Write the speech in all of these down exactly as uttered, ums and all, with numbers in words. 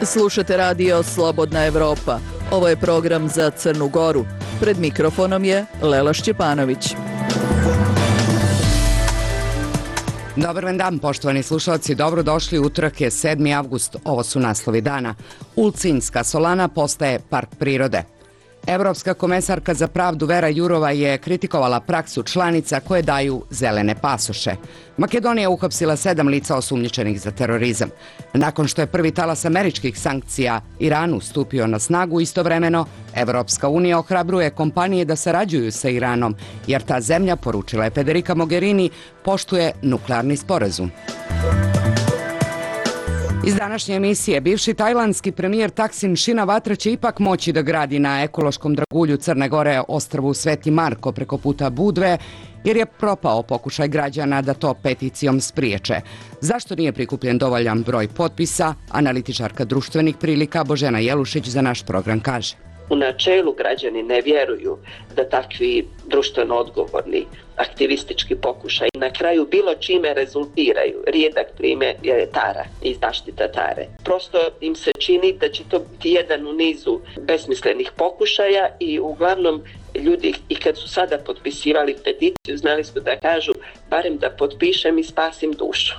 Slušate radio Slobodna Evropa. Ovo je program za Crnu Goru. Pred mikrofonom je Lela Šćepanović. Dobar vam dan, poštovani slušalci. Dobrodošli, utorak je sedmi avgust. Ovo su naslovi dana. Ulcinjska solana postaje park prirode. Evropska komesarka za pravdu Vera Jourova je kritikovala praksu članica koje daju zelene pasoše. Makedonija uhapsila sedam lica osumnjičenih za terorizam. Nakon što je prvi talas američkih sankcija Iranu stupio na snagu, istovremeno Evropska unija ohrabruje kompanije da sarađuju sa Iranom, jer ta zemlja, poručila je Federica Mogherini, poštuje nuklearni sporazum. Iz današnje emisije, bivši tajlandski premijer Taksin Shinawatra će ipak moći da gradi na ekološkom dragulju Crne Gore ostrvu Sveti Marko preko puta Budve, jer je propao pokušaj građana da to peticijom spriječe. Zašto nije prikupljen dovoljan broj potpisa, analitičarka društvenih prilika Božena Jelušić za naš program kaže. U načelu građani ne vjeruju da takvi društveno odgovorni aktivistički pokušaj na kraju bilo čime rezultiraju. Rijedak primjer je Tara i zaštita Tare. Prosto im se čini da će to biti jedan u nizu besmislenih pokušaja i uglavnom ljudi i kad su sada potpisivali peticiju znali su da kažu barem da potpišem i spasim dušu.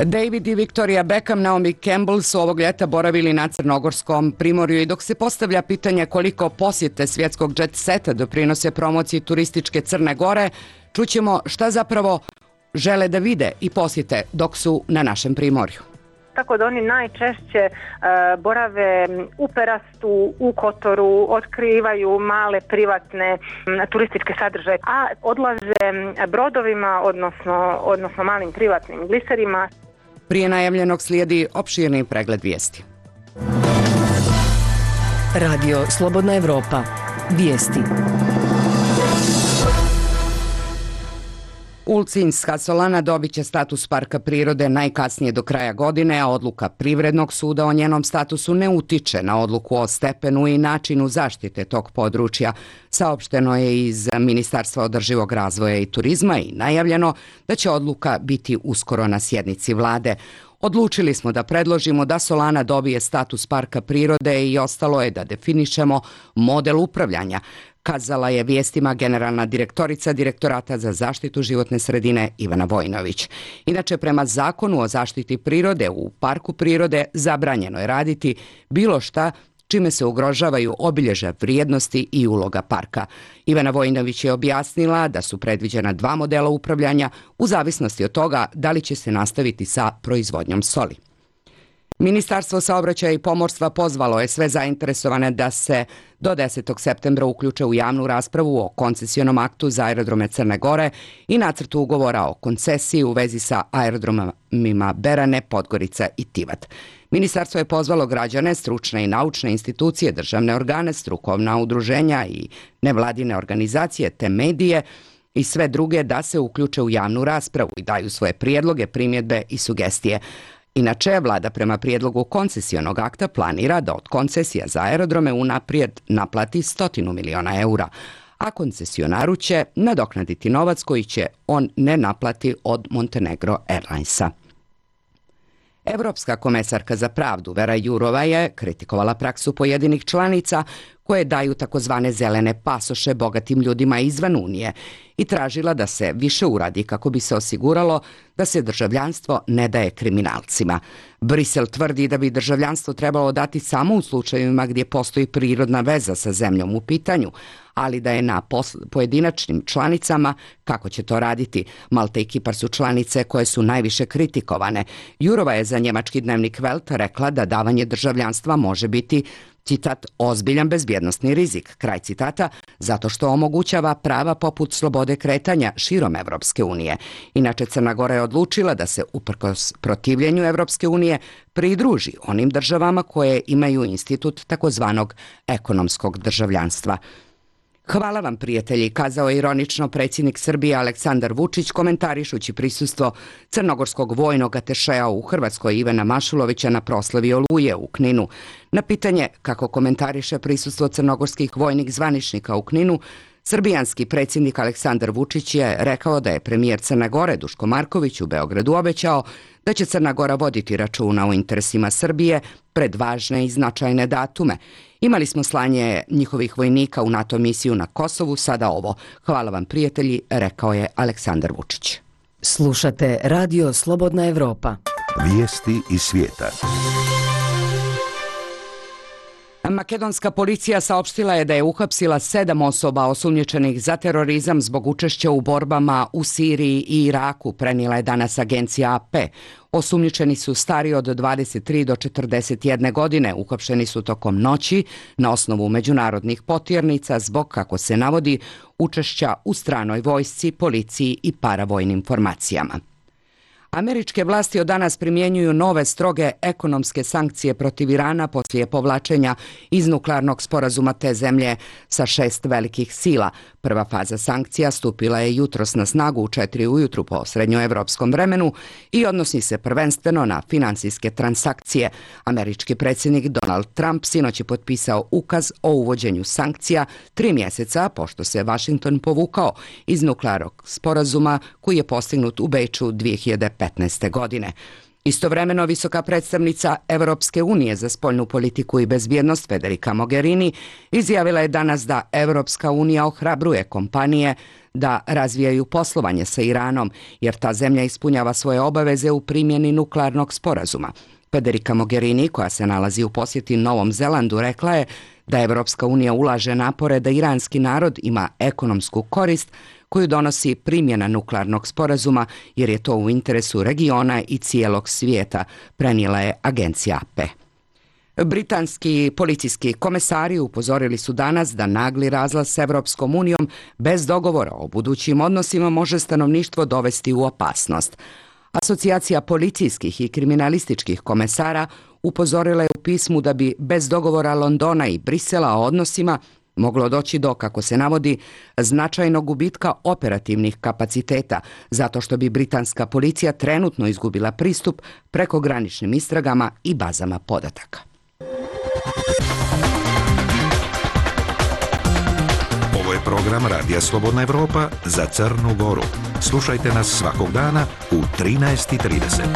David i Victoria Beckham, Naomi Campbell su ovog ljeta boravili na crnogorskom primorju i dok se postavlja pitanje koliko posjete svjetskog jet seta doprinose promociji turističke Crne Gore, čućemo šta zapravo žele da vide i posjete dok su na našem primorju. Tako da oni najčešće uh, borave u Perastu, u Kotoru, otkrivaju male privatne m, turističke sadržaje, a odlaze brodovima, odnosno, odnosno malim privatnim gliserima. Prije najavljenog slijedi opširni pregled vijesti. Radio Slobodna Evropa. Vijesti. Ulcinjska solana dobit će status parka prirode najkasnije do kraja godine, a odluka Privrednog suda o njenom statusu ne utiče na odluku o stepenu i načinu zaštite tog područja. Saopšteno je iz Ministarstva održivog razvoja i turizma i najavljeno da će odluka biti uskoro na sjednici vlade. Odlučili smo da predložimo da solana dobije status parka prirode i ostalo je da definišemo model upravljanja, kazala je vijestima generalna direktorica Direktorata za zaštitu životne sredine Ivana Vojinović. Inače, prema zakonu o zaštiti prirode u parku prirode zabranjeno je raditi bilo šta čime se ugrožavaju obilježja vrijednosti i uloga parka. Ivana Vojinović je objasnila da su predviđena dva modela upravljanja u zavisnosti od toga da li će se nastaviti sa proizvodnjom soli. Ministarstvo saobraćaja i pomorstva pozvalo je sve zainteresovane da se do desetog septembra uključe u javnu raspravu o koncesionom aktu za aerodrome Crne Gore i nacrtu ugovora o koncesiji u vezi sa aerodromima Berane, Podgorica i Tivat. Ministarstvo je pozvalo građane, stručne i naučne institucije, državne organe, strukovna udruženja i nevladine organizacije te medije i sve druge da se uključe u javnu raspravu i daju svoje prijedloge, primjedbe i sugestije. Inače, vlada prema prijedlogu koncesionog akta planira da od koncesija za aerodrome unaprijed naplati stotinu miliona eura, a koncesionaru će nadoknaditi novac koji će on ne naplati od Montenegro Airlinesa. Evropska komesarka za pravdu Vera Jourova je kritikovala praksu pojedinih članica koje daju takozvane zelene pasoše bogatim ljudima izvan Unije i tražila da se više uradi kako bi se osiguralo da se državljanstvo ne daje kriminalcima. Brisel tvrdi da bi državljanstvo trebalo dati samo u slučajevima gdje postoji prirodna veza sa zemljom u pitanju, ali da je na pojedinačnim članicama kako će to raditi. Malta i Kipar su članice koje su najviše kritikovane. Jourova je za njemački dnevnik Welt rekla da davanje državljanstva može biti, citat, ozbiljan bezbjednosni rizik, kraj citata, zato što omogućava prava poput slobode kretanja širom Evropske unije. Inače, Crna Gora je odlučila da se uprkos protivljenju Evropske unije pridruži onim državama koje imaju institut takozvanog ekonomskog državljanstva. Hvala vam, prijatelji, kazao je ironično predsjednik Srbije Aleksandar Vučić komentarišući prisustvo crnogorskog vojnog atešea u Hrvatskoj Ivana Mašulovića na proslavi Oluje u Kninu. Na pitanje kako komentariše prisustvo crnogorskih vojnih zvaničnika u Kninu, Srbijanski predsjednik Aleksandar Vučić je rekao da je premijer Crne Gore Duško Marković u Beogradu obećao da će Crna Gora voditi računa o interesima Srbije pred važne i značajne datume. Imali smo slanje njihovih vojnika u NATO misiju na Kosovu, sada ovo. Hvala vam prijatelji, rekao je Aleksandar Vučić. Slušate Radio Slobodna Evropa. Vijesti iz svijeta. Makedonska policija saopštila je da je uhapsila sedam osoba osumnjičenih za terorizam zbog učešća u borbama u Siriji i Iraku, prenijela je danas agencija A P. Osumnjičeni su stari od dvadeset tri do četrdeset jedne godine, uhapšeni su tokom noći na osnovu međunarodnih potjernica zbog, kako se navodi, učešća u stranoj vojsci, policiji i paravojnim formacijama. Američke vlasti od danas primjenjuju nove stroge ekonomske sankcije protiv Irana poslije povlačenja iz nuklearnog sporazuma te zemlje sa šest velikih sila. Prva faza sankcija stupila je jutros na snagu u četiri ujutru po srednjoevropskom vremenu i odnosi se prvenstveno na finansijske transakcije. Američki predsjednik Donald Trump sinoć je potpisao ukaz o uvođenju sankcija tri mjeseca pošto se Washington povukao iz nuklearnog sporazuma koji je postignut u Beču dvije hiljade petnaeste. godine. Istovremeno, visoka predstavnica Evropske unije za spoljnu politiku i bezbjednost Federica Mogherini izjavila je danas da Evropska unija ohrabruje kompanije da razvijaju poslovanje sa Iranom, jer ta zemlja ispunjava svoje obaveze u primjeni nuklearnog sporazuma. Federica Mogherini, koja se nalazi u posjeti Novom Zelandu, rekla je da Evropska unija ulaže napore da iranski narod ima ekonomsku korist koju donosi primjena nuklearnog sporazuma, jer je to u interesu regiona i cijelog svijeta, prenijela je agencija A P. Britanski policijski komesari upozorili su danas da nagli razlaz s Evropskom unijom bez dogovora o budućim odnosima može stanovništvo dovesti u opasnost. Asocijacija policijskih i kriminalističkih komesara upozorila je u pismu da bi bez dogovora Londona i Brisela o odnosima moglo doći do, kako se navodi, značajnog gubitka operativnih kapaciteta, zato što bi britanska policija trenutno izgubila pristup prekograničnim istragama i bazama podataka. Ovo je program Radija Slobodna Evropa za Crnu Goru. Slušajte nas svakog dana u trinaest i trideset.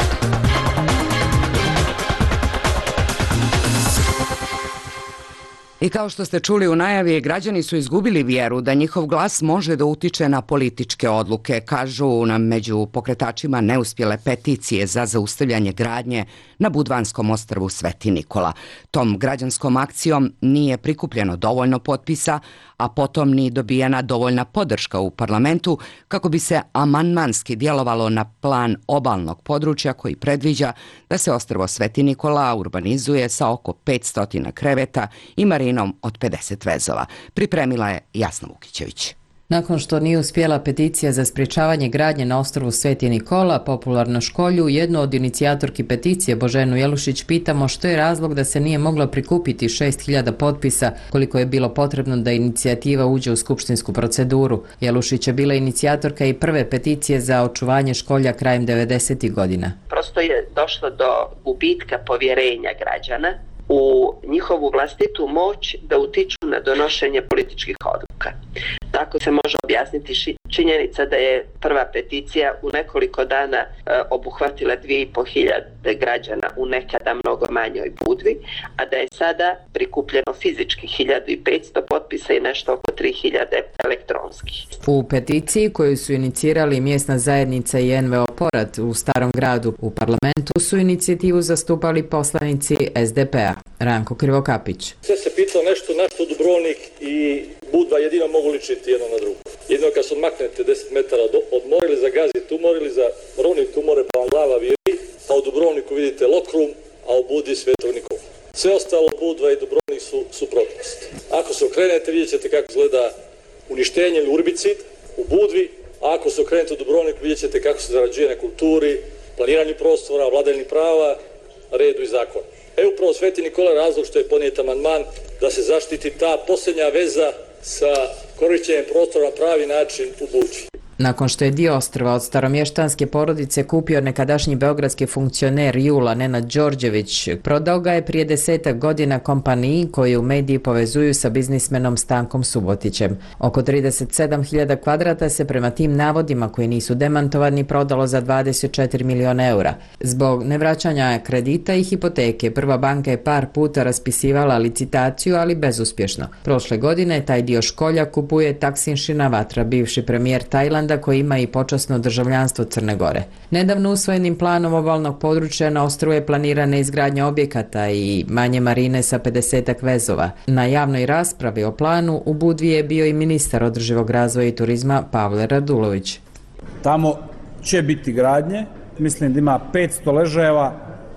I kao što ste čuli u najavi, građani su izgubili vjeru da njihov glas može da utiče na političke odluke, kažu nam među pokretačima neuspjele peticije za zaustavljanje gradnje na Budvanskom ostrvu Sveti Nikola. Tom građanskom akcijom nije prikupljeno dovoljno potpisa, a potom ni dobijena dovoljna podrška u parlamentu kako bi se amandmanski djelovalo na plan obalnog područja koji predviđa da se ostrvo Sveti Nikola urbanizuje sa oko petsto kreveta i marinom od pedeset vezova. Pripremila je Jasna Vukićević. Nakon što nije uspjela peticija za sprječavanje gradnje na ostrvu Sveti Nikola, popularno Školju, jednu od inicijatorki peticije Boženu Jelušić pitamo što je razlog da se nije moglo prikupiti šest hiljada potpisa koliko je bilo potrebno da inicijativa uđe u skupštinsku proceduru. Jelušić je bila inicijatorka i prve peticije za očuvanje Školja krajem devedesetih godina. Prosto je došlo do gubitka povjerenja građana u njihovu vlastitu moć da utiču na donošenje političkih odluka. Tako se može objasniti činjenica da je prva peticija u nekoliko dana e, obuhvatila dvije i po hiljade građana u nekada mnogo manjoj Budvi, a da je sada prikupljeno fizički hiljadu i petsto potpisa i nešto oko tri hiljade elektronskih. U peticiji koju su inicirali mjesna zajednica i N V O Porat u Starom gradu u parlamentu su inicijativu zastupali poslanici S D P-a. Ranko Krivokapić. Sve se pitao nešto na što Dubrovnik i Budva jedino mogu ličiti jedno na drugo. Jedino kad se odmaknete deset metara od mora ili za Gazi tumor ili za Rovni tumore pa vam glava viri, a u Dubrovniku vidite Lokrum, a u Budvi Svetog Nikola. Sve ostalo Budva i Dubrovnik su suprotnost. Ako se okrenete vidjet ćete kako izgleda uništenje ili urbicid u Budvi, a ako se okrenete u Dubrovniku vidjet ćete kako se zarađuje na kulturi, planiranju prostora, vladavini prava, redu i zakonu. E upravo Sveti Nikola razlog što je ponijet amandman da se zaštiti ta posljednja veza sa korišćenjem prostora na pravi način u Budvi. Nakon što je dio ostrva od staromještanske porodice kupio nekadašnji beogradski funkcioner Jula Nenad Đorđević, prodao ga je prije desetak godina kompaniji koju mediji povezuju sa biznismenom Stankom Subotićem. Oko trideset sedam hiljada kvadrata se prema tim navodima koji nisu demantovani prodalo za dvadeset četiri miliona eura. Zbog nevraćanja kredita i hipoteke, Prva banka je par puta raspisivala licitaciju, ali bezuspješno. Prošle godine taj dio školja kupuje Taksin Shinawatra, bivši premijer Tajlanda koji ima i počasno državljanstvo Crne Gore. Nedavno usvojenim planom obalnog područja na ostrvu je planirana izgradnja objekata i manje marine sa pedesetak vezova. Na javnoj raspravi o planu u Budvi je bio i ministar održivog razvoja i turizma Pavle Radulović. Tamo će biti gradnje, mislim da ima petsto ležajeva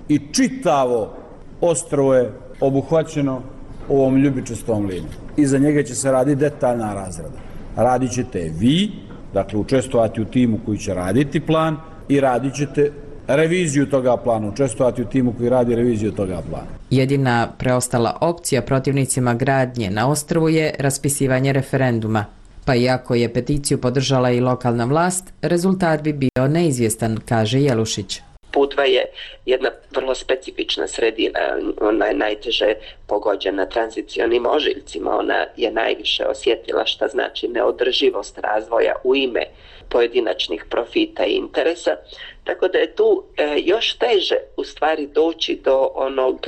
i čitavo ostrvo je obuhvaćeno ovom ljubičastom linijom. Iza njega će se raditi detaljna razrada. Radit ćete vi, dakle učestvovati u timu koji će raditi plan i radit ćete reviziju toga plana, učestvovati u timu koji radi reviziju toga plana. Jedina preostala opcija protivnicima gradnje na ostrvu je raspisivanje referenduma. Pa iako je peticiju podržala i lokalna vlast, rezultat bi bio neizvjestan, kaže Jelušić. Budva je jedna vrlo specifična sredina, ona je najteže pogođena tranzicionim ožiljcima, ona je najviše osjetila šta znači neodrživost razvoja u ime pojedinačnih profita i interesa, tako da je tu e, još teže u stvari doći do onog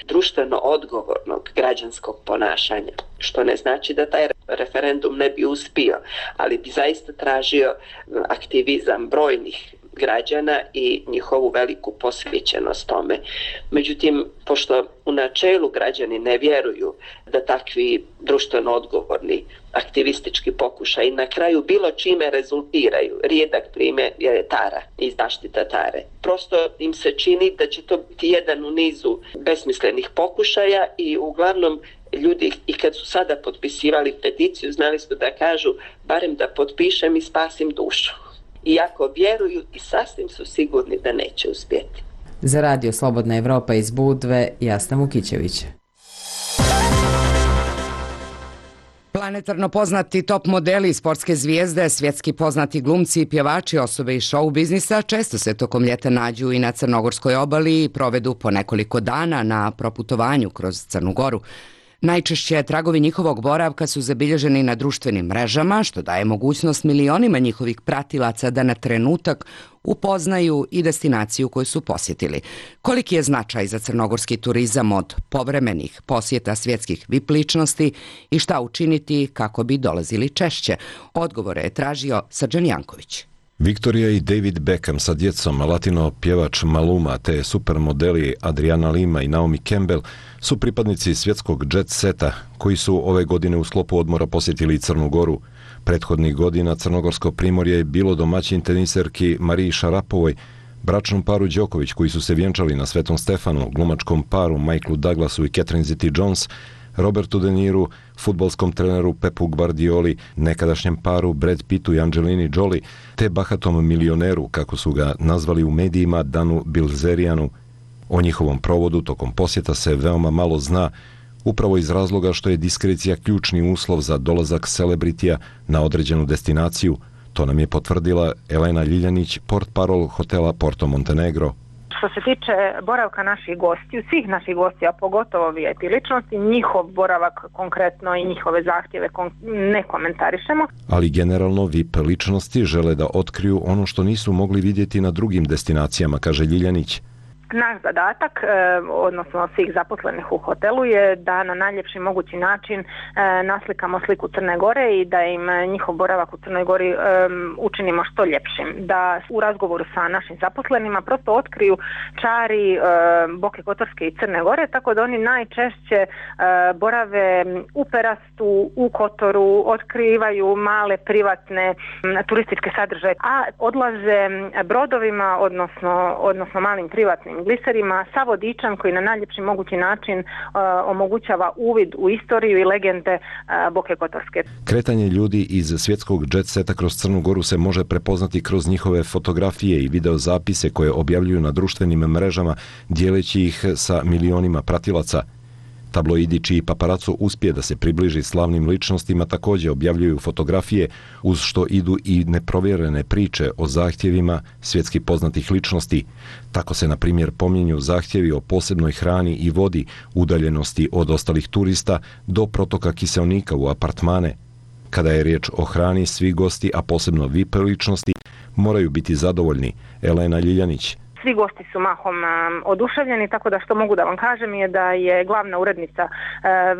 društveno odgovornog građanskog ponašanja, što ne znači da taj referendum ne bi uspio, ali bi zaista tražio aktivizam brojnih građana i njihovu veliku posvećenost tome. Međutim, pošto u načelu građani ne vjeruju da takvi društveno odgovorni aktivistički pokušaj na kraju bilo čime rezultiraju, rijedak primjer je Tara i zaštita Tare. Prosto im se čini da će to biti jedan u nizu besmislenih pokušaja i uglavnom ljudi i kad su sada potpisivali peticiju znali su da kažu barem da potpišem i spasim dušu. Iako vjeruju i sasvim su sigurni da neće uspjeti. Za Radio Slobodna Evropa iz Budve, Jasna Vukićević. Planetarno poznati top modeli, sportske zvijezde, svjetski poznati glumci i pjevači, osobe iz show biznisa često se tokom ljeta nađu i na Crnogorskoj obali i provedu po nekoliko dana na proputovanju kroz Crnu Goru. Najčešće tragovi njihovog boravka su zabilježeni na društvenim mrežama, što daje mogućnost milionima njihovih pratilaca da na trenutak upoznaju i destinaciju koju su posjetili. Koliki je značaj za crnogorski turizam od povremenih posjeta svjetskih V I P ličnosti i šta učiniti kako bi dolazili češće? Odgovore je tražio Srđan Janković. Victoria i David Beckham sa djecom, latino pjevač Maluma te supermodeli Adriana Lima i Naomi Campbell su pripadnici svjetskog jet seta koji su ove godine u sklopu odmora posjetili Crnu Goru. Prethodnih godina Crnogorsko primorje je bilo domaćin teniserki Mariji Šarapovoj, bračnom paru Đoković koji su se vjenčali na Svetom Stefanu, glumačkom paru Michaelu Douglasu i Catherine Zeta-Jones, Robertu De Niru, fudbalskom treneru Pepu Guardioli, nekadašnjem paru Brad Pittu i Angelini Jolie, te bahatom milioneru, kako su ga nazvali u medijima, Danu Bilzerijanu. O njihovom provodu tokom posjeta se veoma malo zna, upravo iz razloga što je diskrecija ključni uslov za dolazak celebritija na određenu destinaciju. To nam je potvrdila Elena Ljiljanić, portparol hotela Porto Montenegro. Što se tiče boravka naših gostiju, svih naših gostija, pogotovo V I P ličnosti, njihov boravak konkretno i njihove zahtjeve ne komentarišemo. Ali generalno V I P ličnosti žele da otkriju ono što nisu mogli vidjeti na drugim destinacijama, kaže Ljiljanić. Naš zadatak, odnosno svih zaposlenih u hotelu, je da na najljepši mogući način naslikamo sliku Crne Gore i da im njihov boravak u Crnoj Gori učinimo što ljepšim. Da u razgovoru sa našim zaposlenima prosto otkriju čari Boke Kotorske i Crne Gore, tako da oni najčešće borave u Perastu, u Kotoru, otkrivaju male privatne turističke sadržaje, a odlaze brodovima, odnosno, odnosno malim privatnim gliserima sa vodičem koji na najljepši mogući način uh, omogućava uvid u istoriju i legende uh, Boke Kotorske. Kretanje ljudi iz svjetskog jet seta kroz Crnu Goru se može prepoznati kroz njihove fotografije i videozapise koje objavljuju na društvenim mrežama, dijeleći ih sa milionima pratilaca. Tabloidi čiji paparaco uspije da se približi slavnim ličnostima također objavljuju fotografije uz što idu i neprovjerene priče o zahtjevima svjetski poznatih ličnosti. Tako se na primjer pominju zahtjevi o posebnoj hrani i vodi, udaljenosti od ostalih turista do protoka kiseonika u apartmane. Kada je riječ o hrani, svi gosti, a posebno V I P ličnosti, moraju biti zadovoljni. Elena Ljiljanić. Svi gosti su mahom um, oduševljeni, tako da što mogu da vam kažem je da je glavna urednica uh,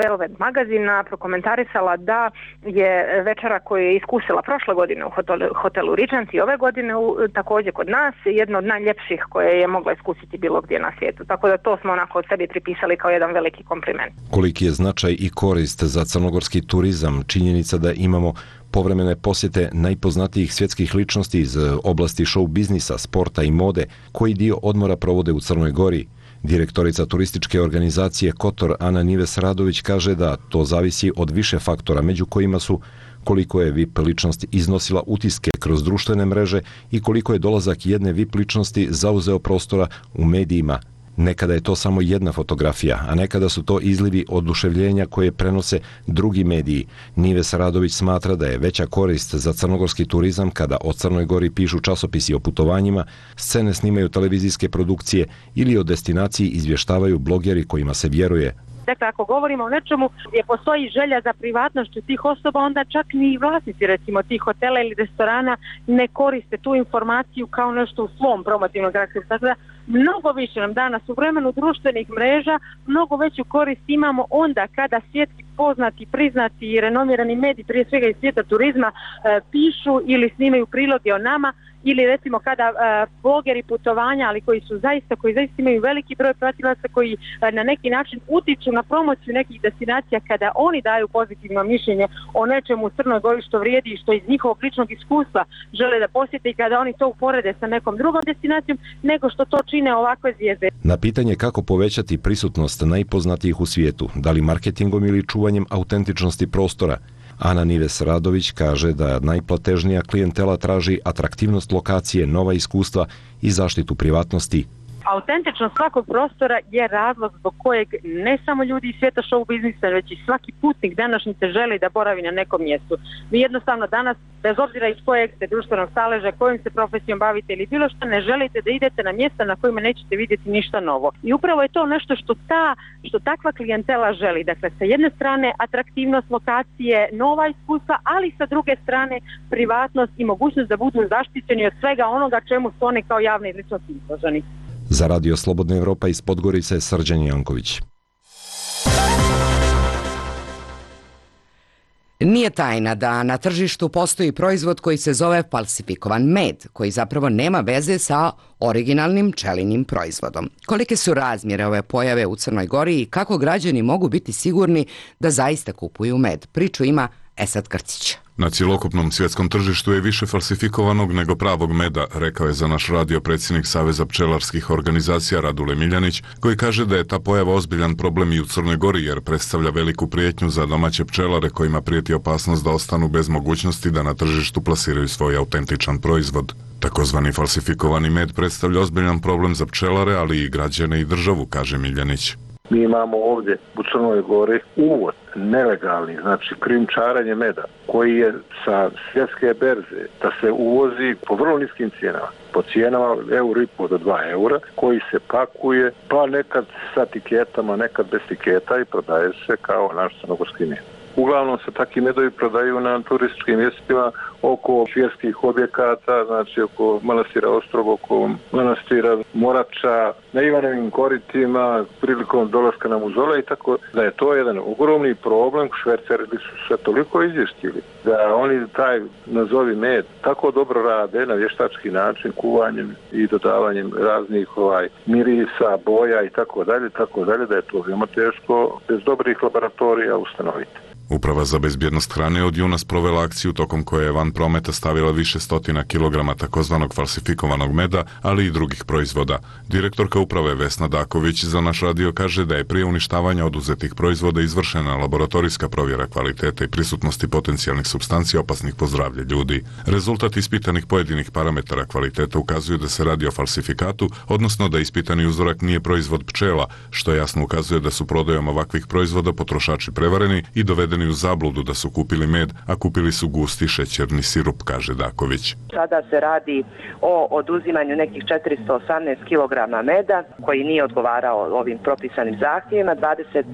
Velvet magazina prokomentarisala da je večera koju je iskusila prošle godine u hotelu, hotelu Regent i ove godine u, također kod nas jedno od najljepših koje je mogla iskusiti bilo gdje na svijetu. Tako da to smo onako od sebi pripisali kao jedan veliki kompliment. Koliki je značaj i korist za crnogorski turizam, činjenica da imamo povremene posjete najpoznatijih svjetskih ličnosti iz oblasti show biznisa, sporta i mode, koji dio odmora provode u Crnoj Gori. Direktorica turističke organizacije Kotor Ana Nives Radović kaže da to zavisi od više faktora, među kojima su koliko je V I P ličnost iznosila utiske kroz društvene mreže i koliko je dolazak jedne V I P ličnosti zauzeo prostora u medijima. Nekada je to samo jedna fotografija, a nekada su to izlivi oduševljenja koje prenose drugi mediji. Nives Radović smatra da je veća korist za crnogorski turizam kada o Crnoj Gori pišu časopisi o putovanjima, scene snimaju televizijske produkcije ili o destinaciji izvještavaju blogeri kojima se vjeruje. Dakle, ako govorimo o nečemu gdje postoji želja za privatnošću tih osoba, onda čak ni vlasnici recimo tih hotela ili restorana ne koriste tu informaciju kao nešto u svom promotivnom karakteru. Tako da mnogo više nam danas u vremenu društvenih mreža, mnogo veću korist imamo onda kada svjetski poznati, priznati i renomirani mediji, prije svega iz svijeta turizma, e, pišu ili snimaju priloge o nama, ili recimo kada e, blogeri putovanja, ali koji su zaista, koji zaista imaju veliki broj pratilaca, koji e, na neki način utiču na promociju nekih destinacija, kada oni daju pozitivno mišljenje o nečemu u Crnoj Gori što vrijedi i što iz njihovog ličnog iskustva žele da posjete i kada oni to uporede sa nekom drugom destinacijom, nego što to čine ovakve zvijezde. Na pitanje kako povećati prisutnost najpoznatijih u svijetu, da li marketingom ili čuvanjem autentičnosti prostora, Ana Nives Radović kaže da najplatežnija klijentela traži atraktivnost lokacije, nova iskustva i zaštitu privatnosti. Autentičnost svakog prostora je razlog zbog kojeg ne samo ljudi iz svijeta show biznisa, već i svaki putnik današnjice želi da boravi na nekom mjestu. Vi jednostavno danas, bez obzira iz kojeg ste društvenog staleža, kojim se profesijom bavite ili bilo što, ne želite da idete na mjesta na kojima nećete vidjeti ništa novo. I upravo je to nešto što ta, što takva klijentela želi. Dakle, sa jedne strane atraktivnost lokacije, nova iskustva, ali sa druge strane privatnost i mogućnost da budu zaštićeni od svega onoga čemu su oni kao javni ličnosti izloženi. Za Radio Slobodna Evropa iz Podgorice, Srđan Janković. Nije tajna da na tržištu postoji proizvod koji se zove falsifikovan med, koji zapravo nema veze sa originalnim pčelinjim proizvodom. Kolike su razmjere ove pojave u Crnoj Gori i kako građani mogu biti sigurni da zaista kupuju med? Priču ima Esad Krcić. Na cjelokupnom svjetskom tržištu je više falsifikovanog nego pravog meda, rekao je za naš radio predsjednik Saveza pčelarskih organizacija Radule Miljanić, koji kaže da je ta pojava ozbiljan problem i u Crnoj Gori jer predstavlja veliku prijetnju za domaće pčelare kojima prijeti opasnost da ostanu bez mogućnosti da na tržištu plasiraju svoj autentičan proizvod. Takozvani falsifikovani med predstavlja ozbiljan problem za pčelare, ali i građane i državu, kaže Miljanić. Mi imamo ovdje u Crnoj Gori uvoz nelegalni, znači krijumčarenje meda, koji je sa svjetske berze da se uvozi po vrlo niskim cijenama, po cijenama euro i po do dva eura, koji se pakuje, pa nekad sa tiketama, nekad bez tiketa i prodaje se kao naš crnogorski med. Uglavnom se takvi medovi prodaju na turističkim mjestima oko vjerskih objekata, znači oko manastira Ostrogo, oko manastira Morača, na Ivanovim koritima, prilikom dolaska na muzole i tako da je to jedan ogromni problem. Šverceri su se toliko izvještili da oni taj nazovi med tako dobro rade na vještački način, kuvanjem i dodavanjem raznih ovaj mirisa, boja i tako dalje, tako dalje, da je to veoma teško bez dobrih laboratorija ustanoviti. Uprava za bezbjednost hrane od juna sprovela akciju tokom koje je van prometa stavila više stotina kilograma takozvanog falsifikovanog meda, ali i drugih proizvoda. Direktorka uprave Vesna Daković za naš radio kaže da je prije uništavanja oduzetih proizvoda izvršena laboratorijska provjera kvalitete i prisutnosti potencijalnih supstanci opasnih po zdravlje ljudi. Rezultat ispitanih pojedinih parametara kvaliteta ukazuju da se radi o falsifikatu, odnosno da ispitani uzorak nije proizvod pčela, što jasno ukazuje da su prodajom ovakvih proizvoda potrošači prevareni i dovedeni u zabludu da su kupili med, a kupili su gusti šećerni sirup, kaže Daković. Sada se radi o oduzimanju nekih četiristo osamnaest kilograma meda koji nije odgovarao ovim propisanim zahtjevima. dvadeset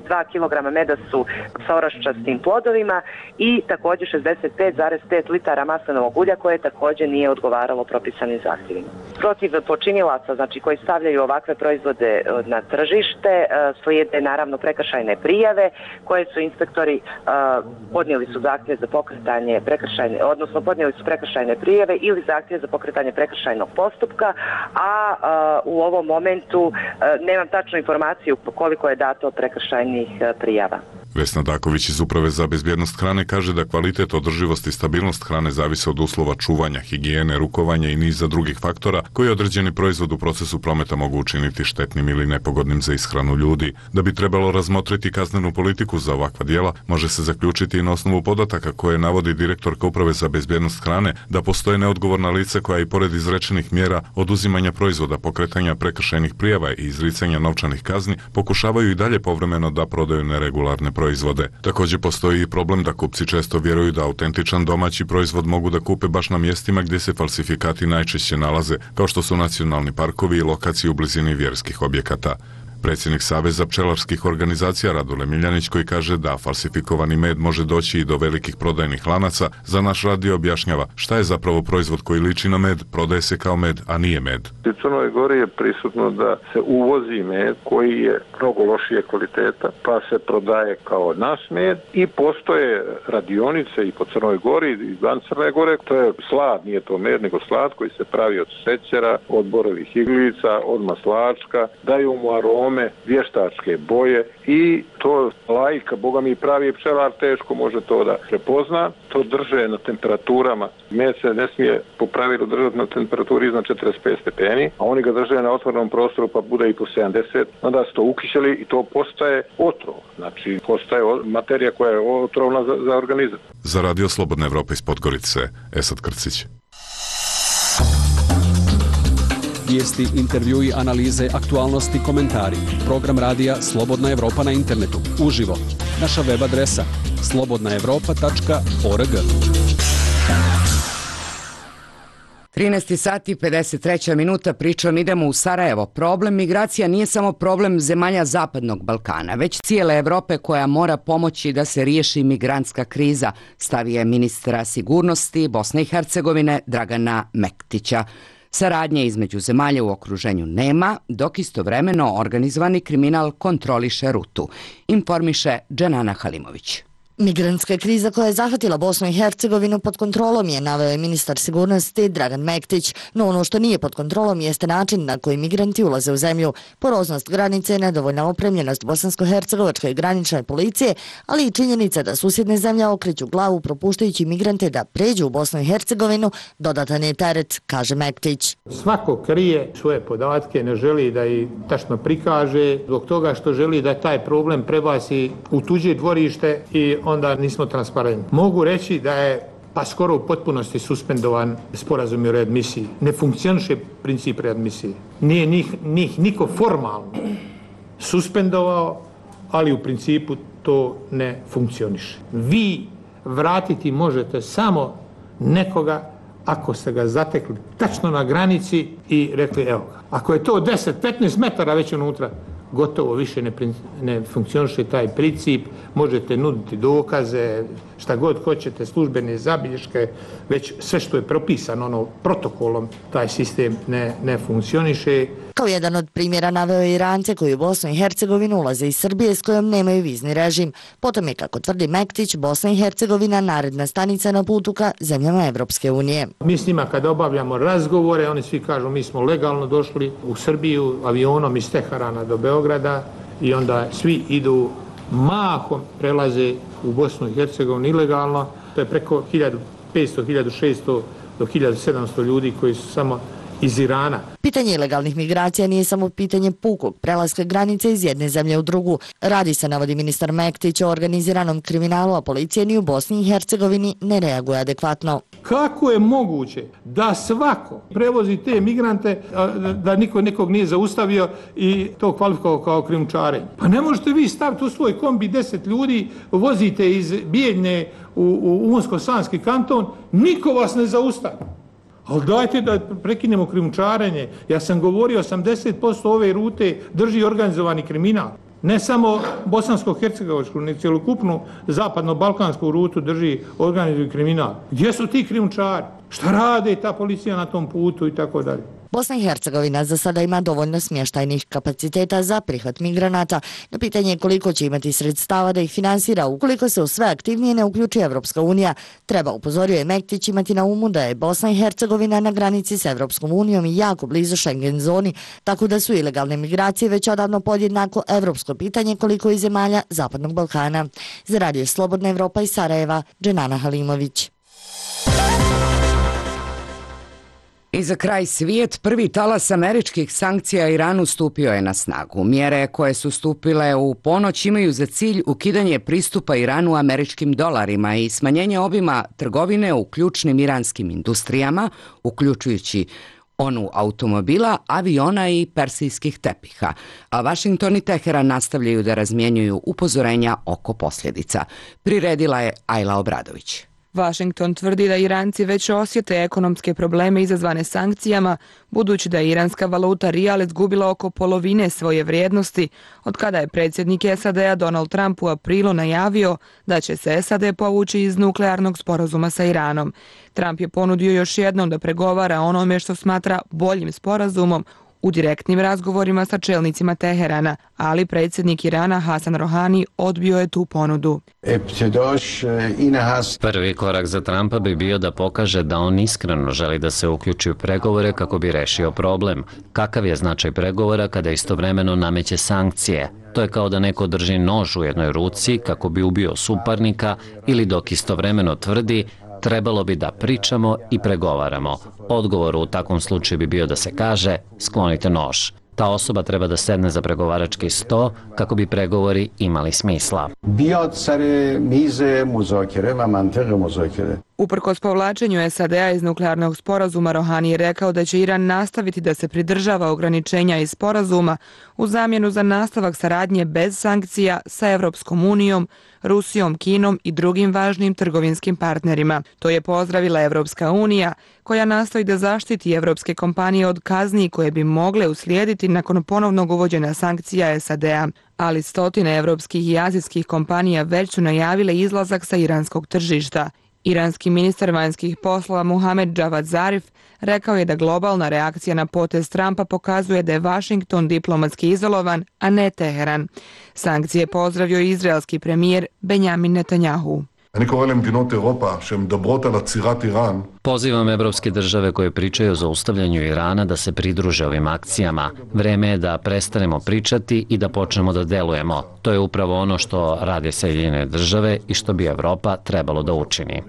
dva kilograma meda su sa oraščastim plodovima i također šezdeset pet zarez pet litara maslinovog ulja koje također nije odgovaralo propisanim zahtjevima. Protiv počinilaca, znači koji stavljaju ovakve proizvode na tržište, slijede naravno prekršajne prijave koje su inspektori uh, podnijeli su zahtjev za pokretanje prekršajne, odnosno podnijeli su prekršajne prijave ili zahtjev za pokretanje prekršajnog postupka, a uh, u ovom momentu uh, nemam tačnu informaciju koliko je dato prekršajnih uh, prijava. Vesna Daković iz Uprave za bezbjednost hrane kaže da kvalitet, održivost i stabilnost hrane zavise od uslova čuvanja, higijene, rukovanja i niza drugih faktora koji određeni proizvod u procesu prometa mogu učiniti štetnim ili nepogodnim za ishranu ljudi. Da bi trebalo razmotriti kaznenu politiku za ovakva djela, može se zaključiti i na osnovu podataka koje navodi direktorka Uprave za bezbjednost hrane da postoje neodgovorna lica koja i pored izrečenih mjera oduzimanja proizvoda, pokretanja prekršajnih prijava i izricanja novčanih kazni pokušavaju i dalje povremeno da prodaju neregularne proizvode. Također postoji i problem da kupci često vjeruju da autentičan domaći proizvod mogu da kupe baš na mjestima gdje se falsifikati najčešće nalaze, kao što su nacionalni parkovi i lokacije u blizini vjerskih objekata. Predsjednik Saveza pčelarskih organizacija Radule Miljanić, koji kaže da falsifikovani med može doći i do velikih prodajnih lanaca, za naš radio objašnjava šta je zapravo proizvod koji liči na med, prodaje se kao med, a nije med. U Crnoj Gori je prisutno da se uvozi med koji je mnogo lošije kvaliteta, pa se prodaje kao naš med i postoje radionice i po Crnoj Gori i van Crne Gore. To je slad, nije to med, nego slad koji se pravi od šećera, od borovih iglica, od maslačka, daju mu arome, vještačke boje i to lajka, boga mi pravi pčelar teško može to da prepozna. To drže na temperaturama. Med se ne smije po pravilu držati na temperaturi iznad četrdeset pet stepeni, a oni ga drže na otvorenom prostoru pa bude i po sedamdeset. Onda su to ukišeli i to postaje otrov. Znači, postaje materija koja je otrovna za, za organizam. Za Radio Slobodna Evropa iz Podgorice, Esad Krcić. Vijesti, intervjui, analize, aktualnosti, komentari. Program radija Slobodna Evropa na internetu. Uživo. Naša web adresa slobodna evropa tačka org. trinaest sati pedeset treća minuta, pričom idemo u Sarajevo. Problem migracija nije samo problem zemalja Zapadnog Balkana, već cijele Evrope koja mora pomoći da se riješi migrantska kriza, stavio ministra sigurnosti Bosne i Hercegovine Dragana Mektića. Saradnje između zemalja u okruženju nema, dok istovremeno organizovani kriminal kontroliše rutu, informiše Dženana Halimović. Migrantska kriza koja je zahvatila Bosnu i Hercegovinu pod kontrolom je, naveo je ministar sigurnosti Dragan Mektić, no ono što nije pod kontrolom jeste način na koji migranti ulaze u zemlju, poroznost granice, nedovoljna opremljenost bosansko-hercegovačke granične policije, ali i činjenica da susjedne zemlje okreću glavu propuštajući migrante da pređu u Bosnu i Hercegovinu, dodatan je teret, kaže Mektić. Svako krije svoje podatke, ne želi da ih tačno prikaže, zbog toga što želi da taj problem prebaci u tuđe dvorište i onda nismo transparentni. Mogu reći da je pa skoro u potpunosti suspendovan sporazum o readmisiji. Ne funkcioniše princip readmisije. Nije njih, njih niko formalno suspendovao, ali u principu to ne funkcioniše. Vi vratiti možete samo nekoga ako ste ga zatekli tačno na granici i rekli evo ga. Ako je to deset do petnaest metara već unutra, gotovo više ne, ne funkcioniše taj princip, možete nuditi dokaze, šta god hoćete, službene zabilješke, već sve što je propisano ono, protokolom, taj sistem ne, ne funkcioniše. Kao jedan od primjera naveo je Irance koji u Bosnu i Hercegovinu ulaze iz Srbije s kojom nemaju vizni režim. Potom je, kako tvrdi Mektić, Bosna i Hercegovina naredna stanica na putu ka zemljama Evropske unije. Mi s njima kada obavljamo razgovore, oni svi kažu mi smo legalno došli u Srbiju avionom iz Teherana do Beograda i onda svi idu mahom prelaze u Bosnu i Hercegovinu ilegalno. To je preko hiljadu petsto do hiljadu šesto do hiljadu sedamsto ljudi koji su samo iz Irana. Pitanje ilegalnih migracija nije samo pitanje pukog prelaska granice iz jedne zemlje u drugu. Radi se, navodi ministar Mektić, o organiziranom kriminalu, a policija ni u Bosni i Hercegovini ne reaguje adekvatno. Kako je moguće da svako prevozi te migrante, da niko nekog nije zaustavio i to kvalifikovao kao krijumčarenje? Pa ne možete vi staviti u svoj kombi deset ljudi, vozite iz Bijeljne u, u Unsko-Sanski kanton, niko vas ne zaustavi. Ali dajte da prekinemo krijumčarenje. Ja sam govorio, osamdeset posto ove rute drži organizovani kriminal. Ne samo bosansko-hercegovačku, nego cjelokupnu zapadno-balkansku rutu drži organizovani kriminal. Gdje su ti krijumčari? Šta rade ta policija na tom putu i tako dalje? Bosna i Hercegovina za sada ima dovoljno smještajnih kapaciteta za prihvat migranata. Na pitanje koliko će imati sredstava da ih finansira ukoliko se u sve aktivnije ne uključi Evropska unija, treba, upozorio je Mektić, imati na umu da je Bosna i Hercegovina na granici s Evropskom unijom i jako blizu Schengen zoni, tako da su ilegalne migracije već odavno podjednako evropsko pitanje koliko i zemalja Zapadnog Balkana. Za Radio Slobodna Evropa iz Sarajeva, Dženana Halimović. I za kraj svijet, prvi talas američkih sankcija Iranu stupio je na snagu. Mjere koje su stupile u ponoć imaju za cilj ukidanje pristupa Iranu američkim dolarima i smanjenje obima trgovine u ključnim iranskim industrijama, uključujući onu automobila, aviona i persijskih tepiha. A Vašington i Teheran nastavljaju da razmjenjuju upozorenja oko posljedica. Priredila je Ajla Obradović. Washington tvrdi da Iranci već osjete ekonomske probleme izazvane sankcijama, budući da je iranska valuta rijal izgubila oko polovine svoje vrijednosti, od kada je predsjednik S A D-a Donald Trump u aprilu najavio da će se S A D povući iz nuklearnog sporazuma sa Iranom. Trump je ponudio još jednom da pregovara onome što smatra boljim sporazumom u direktnim razgovorima sa čelnicima Teherana, ali predsjednik Irana Hasan Rohani odbio je tu ponudu. Prvi korak za Trumpa bi bio da pokaže da on iskreno želi da se uključi u pregovore kako bi rešio problem. Kakav je značaj pregovora kada istovremeno nameće sankcije? To je kao da neko drži nož u jednoj ruci kako bi ubio suparnika ili dok istovremeno tvrdi trebalo bi da pričamo i pregovaramo. Odgovor u takvom slučaju bi bio da se kaže sklonite nož. Ta osoba treba da sedne za pregovarački sto kako bi pregovori imali smisla. Uprkos povlačenju S A D-a iz nuklearnog sporazuma, Rohani je rekao da će Iran nastaviti da se pridržava ograničenja iz sporazuma u zamjenu za nastavak saradnje bez sankcija sa Evropskom unijom, Rusijom, Kinom i drugim važnim trgovinskim partnerima. To je pozdravila Evropska unija, koja nastoji da zaštiti evropske kompanije od kazni koje bi mogle uslijediti nakon ponovnog uvođenja sankcija S A D-a. Ali stotine evropskih i azijskih kompanija već su najavile izlazak sa iranskog tržišta. Iranski ministar vanjskih poslova Muhamed Javad Zarif rekao je da globalna reakcija na potez Trumpa pokazuje da je Washington diplomatski izolovan, a ne Teheran. Sankcije pozdravio i izraelski premijer Benjamin Netanjahu. Pozivam evropske države koje pričaju o zaustavljanju Irana da se pridruže ovim akcijama. Vreme je da prestanemo pričati i da počnemo da delujemo. To je upravo ono što rade Sjedinjene države i što bi Evropa trebalo da učini.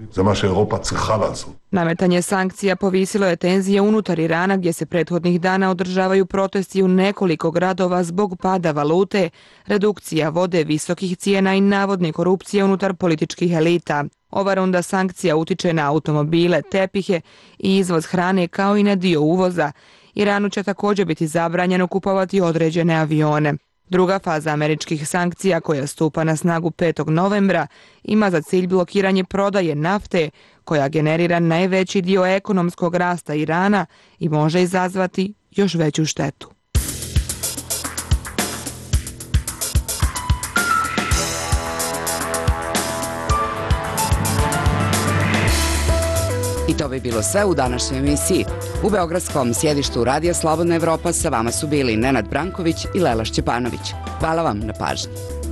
Nametanje sankcija povisilo je tenzije unutar Irana, gdje se prethodnih dana održavaju protesti u nekoliko gradova zbog pada valute, redukcija vode, visokih cijena i navodne korupcije unutar političkih elita. Ova runda sankcija utiče na automobile, tepihe i izvoz hrane kao i na dio uvoza. Iranu će također biti zabranjeno kupovati određene avione. Druga faza američkih sankcija, koja stupa na snagu petog novembra, ima za cilj blokiranje prodaje nafte, koja generira najveći dio ekonomskog rasta Irana i može izazvati još veću štetu. I to bi bilo sve u današnjoj emisiji. U beogradskom sjedištu Radija Slobodna Evropa sa vama su bili Nenad Branković i Lela Šćepanović. Hvala vam na pažnji.